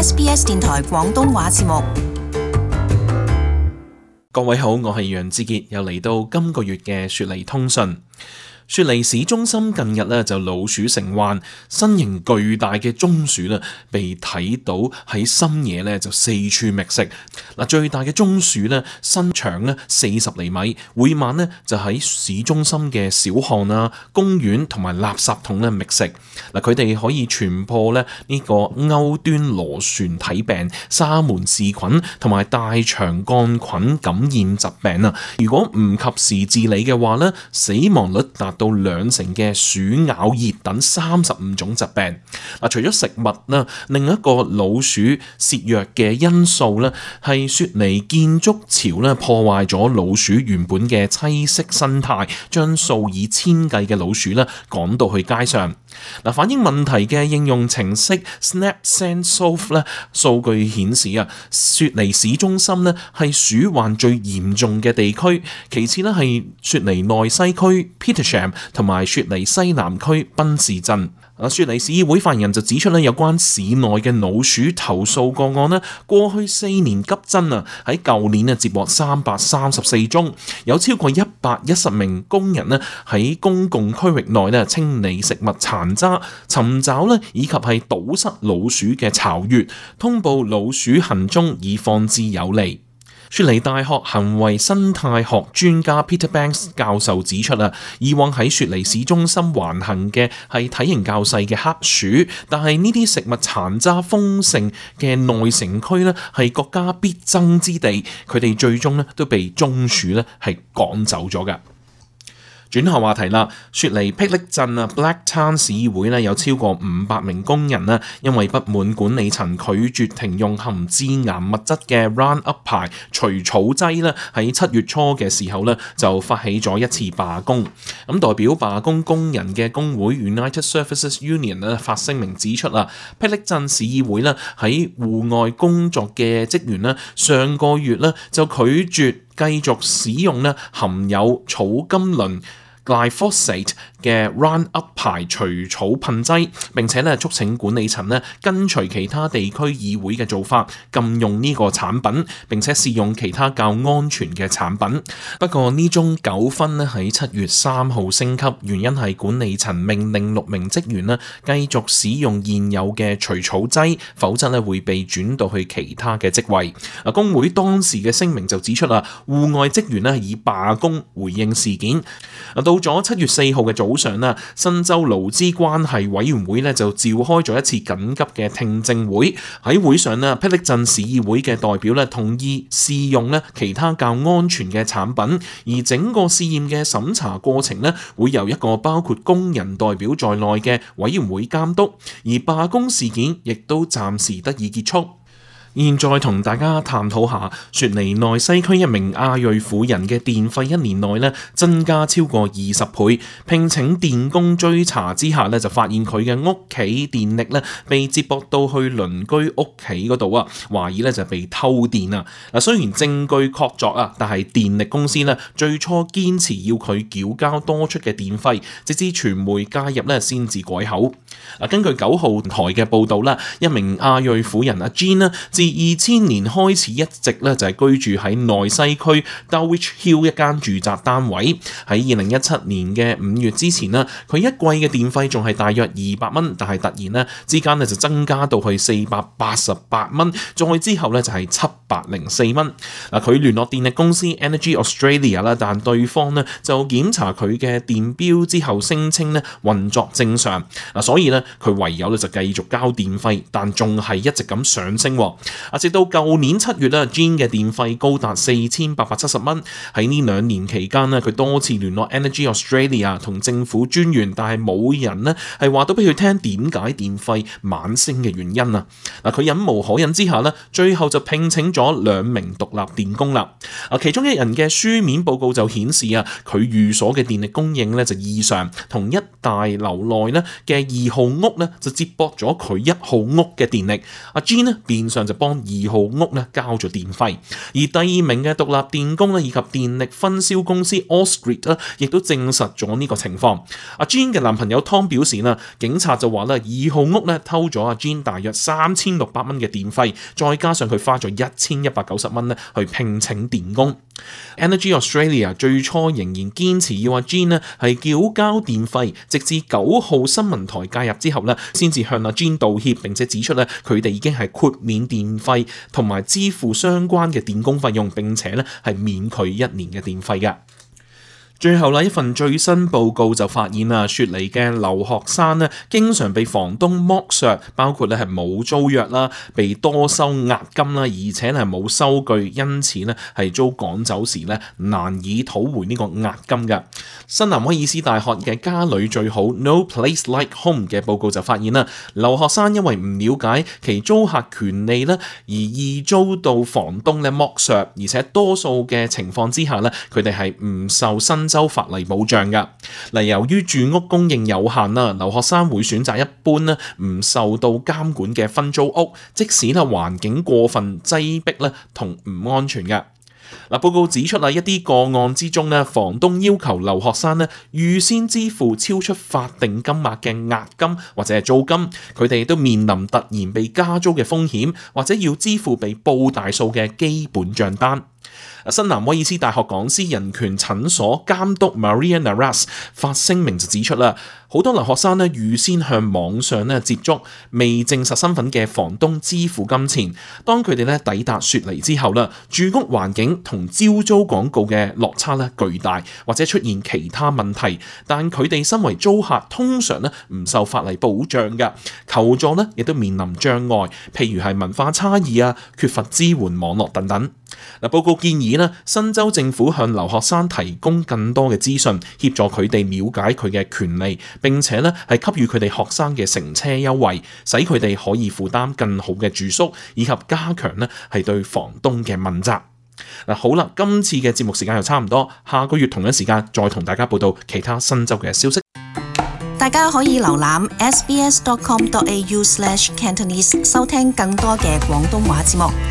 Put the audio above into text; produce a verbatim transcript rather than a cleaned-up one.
S B S 電台廣東話節目。各位好，我係楊志傑，又嚟到今個月嘅雪梨通訊。雪梨市中心近日咧就老鼠成患，身形巨大嘅棕鼠咧被睇到喺深夜咧就四處覓食。嗱，最大嘅棕鼠咧身長咧四十厘米，每晚咧就喺市中心嘅小巷啊、公園同埋垃圾桶咧覓食。嗱，佢哋可以傳播咧呢個歐端螺旋體病、沙門氏菌同埋大腸桿菌感染疾病啊！如果唔及時治理嘅話咧，死亡率達到兩成嘅鼠咬熱等三十五種疾病。嗱，除咗食物啦，另一個老鼠涉藥嘅因素咧，係雪梨建築潮咧破壞咗老鼠原本嘅棲息生態，將數以千計嘅老鼠咧趕到去街上。嗱，反映問題嘅應用程式 SnapSenseSolve 咧，數據顯示啊，雪梨市中心咧係鼠患最嚴重嘅地區，其次咧係雪梨內西區 Petersham 同埋雪梨西南區賓士鎮。啊，雪梨市議會發言人就指出咧，有關市內嘅老鼠投訴個案咧，過去四年急增啊，喺舊年啊接獲三百三十四宗，有超過一百一十名工人咧喺公共區域內咧清理食物殘渣、尋找咧以及係堵塞老鼠嘅巢穴，通報老鼠行蹤以放置有利。雪梨大學行為生態學專家 Peter Banks 教授指出啊，以往喺雪梨市中心橫行嘅係體型較細嘅黑鼠，但係呢啲食物殘渣豐盛嘅內城區呢係國家必爭之地，佢哋最終呢都被棕鼠呢係趕走咗㗎。轉下話題啦，雪梨霹靂鎮啊 Blacktown 市議會咧有超過五百名工人咧，因為不滿管理層拒絕停用含致癌物質嘅 Roundup 牌除草劑咧，喺七月初嘅時候咧就發起咗一次罷工。咁代表罷工工人嘅工會 United Services Union 咧發聲明指出啊，霹靂鎮市議會咧喺戶外工作嘅職員咧上個月咧就拒絕繼續使用咧含有草甘膦Glyphosate 嘅 Roundup 牌除草噴劑，並且咧促請管理層咧跟隨其他地區議會嘅做法，禁用呢個產品，並且試用其他較安全嘅產品。不過呢宗糾紛咧喺七月三號升級，原因係管理層命令六名職員咧繼續使用現有嘅除草劑，否則咧會被轉到去其他嘅職位。啊，工會當時嘅聲明就指出啦，戶外職員咧以罷工回應事件。到咗七月四號嘅早上啦，新州勞資關係委員會咧就召開咗一次緊急嘅聽證會。喺會上咧，霹靂鎮市議會嘅代表咧同意試用咧其他較安全嘅產品，而整個試驗嘅審查過程咧會由一個包括工人代表在內嘅委員會監督，而罷工事件亦都暫時得以結束。現在同大家探討下雪梨內西區一名亞裔婦人嘅電費一年內咧增加超過二十倍，聘請電工追查之下咧就發現佢嘅屋企電力咧被接駁到去鄰居屋企嗰度啊，懷疑咧就被偷電啊！嗱，雖然證據確鑿啊，但係電力公司咧最初堅持要佢繳交多出嘅電費，直至傳媒介入咧先至改口。嗱，根據九號台嘅報導啦，一名亞裔婦人阿 Jean 咧，自二千年開始一直咧就係居住喺內西區 Dulwich Hill 一間住宅單位。喺二零一七年嘅五月之前呢，佢一季嘅電費仲係大約二百蚊，但係突然呢之間呢就增加到去四百八十八蚊，再之後呢就係七百零四蚊。嗱，佢聯絡電力公司 Energy Australia 啦，但對方呢就檢查佢嘅電錶之後聲稱呢運作正常。嗱，所以呢佢唯有咧就繼續交電費，但仲係一直咁上升。啊，直到舊年七月咧 ，Jean 嘅電費高達四千八百七十蚊。喺呢兩年期間呢，佢多次聯絡 Energy Australia 同政府專員，但係冇人呢係話到俾佢聽點解電費猛升嘅原因啊！嗱，佢忍無可忍之下呢，最後就聘請咗咗兩名獨立電工啦。啊，其中一人嘅書面報告就顯示啊，佢寓所嘅電力供應咧就異常，同一大樓內咧嘅二號屋咧就接駁咗佢一號屋嘅電力。阿 Jean 咧變相就幫二號屋咧交咗電費，而第二名嘅獨立電工咧以及電力分銷公司 Allsgrid 咧亦都證實咗呢個情況。阿 Jean 嘅男朋友 Tom 表示啦，警察就話咧二號屋咧偷咗阿 Jean 大約三千六百蚊嘅電費，再加上佢花咗一千一百九十蚊咧去聘請電工。Energy Australia 最初仍然堅持要阿 Jean 咧係繳交電費，直至九號新聞台介入之後咧，先至向阿 Jean 道歉，並且指出咧佢哋已經係豁免電費同埋支付相關嘅電工費用，並且咧係免佢一年嘅電費嘅。最後啦，一份最新報告就發現啊，雪梨嘅留學生咧，經常被房東剝削，包括咧係冇租約啦，被多收押金啦，而且係冇收據，因此咧係遭趕走時咧難以討回呢個押金嘅。新南威爾斯大學嘅家裏最好 No Place Like Home 嘅報告就發現啦，留學生因為唔了解其租客權利咧，而易遭到房東咧剝削，而且多數嘅情況之下咧，佢哋係唔受新州法例保障㗎。嗱，由於住屋供應有限啦，留學生會選擇一般咧唔受到監管嘅分租屋，即使咧環境過分擠迫咧同唔安全嘅。嗱，報告指出啊，一啲個案之中咧，房東要求留學生咧預先支付超出法定金額嘅押金或者係租金，佢哋都面臨突然被加租嘅風險，或者要支付被報大數嘅基本帳單。新南威爾斯大學講師人權診所監督 Maria Naras 發聲明就指出啦，好多留學生咧預先向網上咧接觸未證實身份嘅房東支付金錢，當佢哋咧抵達雪梨之後啦，住屋環境同招租廣告嘅落差咧巨大，或者出現其他問題，但佢哋身為租客通常咧唔受法例保障嘅，求助咧亦都面臨障礙，譬如係文化差異啊、缺乏支援網絡等等。嗱，報告建議咧，新州政府向留學生提供更多嘅資訊，協助佢哋了解佢嘅權利，並且咧係給予佢哋學生嘅乘車優惠，使佢哋可以負擔更好嘅住宿，以及加強咧係對房東嘅問責。嗱，好啦，今次嘅節目時間又差唔多，下個月同一時間再同大家報道其他新州嘅消息。大家可以瀏覽 s b s dot com dot a u slash cantonese 收聽更多嘅廣東話節目。